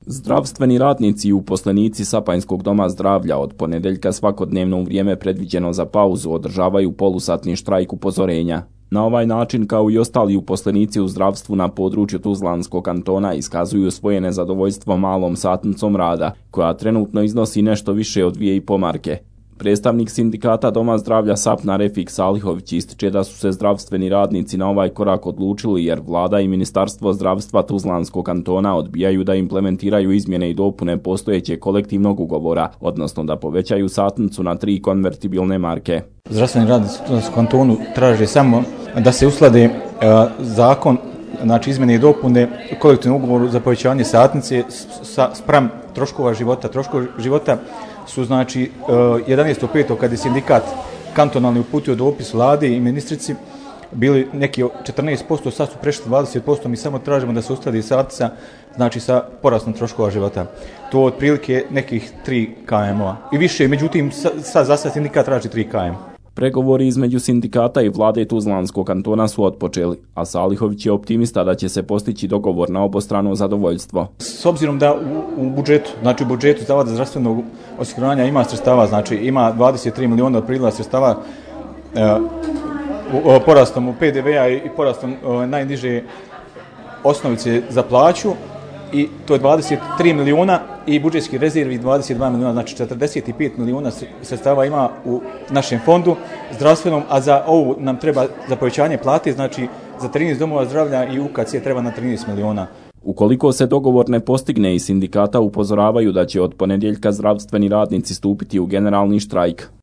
Zdravstveni radnici i uposlenici Sapanjskog doma zdravlja od ponedjeljka svakodnevno u vrijeme predviđeno za pauzu održavaju polusatni štrajk upozorenja. Na ovaj način, kao i ostali uposlenici u zdravstvu na području Tuzlanskog kantona, iskazuju svoje nezadovoljstvo malom satnicom rada, koja trenutno iznosi nešto više od 2,5 marke. Predstavnik sindikata Doma zdravlja SAPNA Refik Salihović ističe da su se zdravstveni radnici na ovaj korak odlučili jer vlada i Ministarstvo zdravstva Tuzlanskog kantona odbijaju da implementiraju izmjene i dopune postojećeg kolektivnog ugovora, odnosno da povećaju satnicu na 3 konvertibilne marke. Zdravstveni radnici u Tuzlanskom kantonu traže samo da se usklade zakon, znači izmjene i dopune kolektivnog ugovoru za povećanje satnice spram troškova života. Troškovi života su znači 11.5. kad je sindikat kantonalni uputio dopis vladi i ministrici, bili neki 14%, sad su prešli 20%, mi samo tražimo da se uskladi satnica, znači sa porastom troškova života. To otprilike nekih 3 km-a i više, međutim sad za sad sindikat traži 3 km. Pregovori između sindikata i vlade Tuzlanskog kantona su otpočeli, a Salihović je optimista da će se postići dogovor na obostrano zadovoljstvo. S obzirom da u budžetu, znači u budžetu Zavoda zdravstvenog osiguranja ima sredstava, znači ima 23 miliona otprilike sredstava porastom u PDV-a i porastom najniže osnovice za plaću, i to je 23 miliona i budžetski rezervi 22 miliona, znači 45 miliona sredstava ima u našem fondu zdravstvenom, a za ovu nam treba za povećanje plate, znači za 13 domova zdravlja i UKC treba na 13 miliona. Ukoliko se dogovor ne postigne, i sindikata upozoravaju da će od ponedjeljka zdravstveni radnici stupiti u generalni štrajk.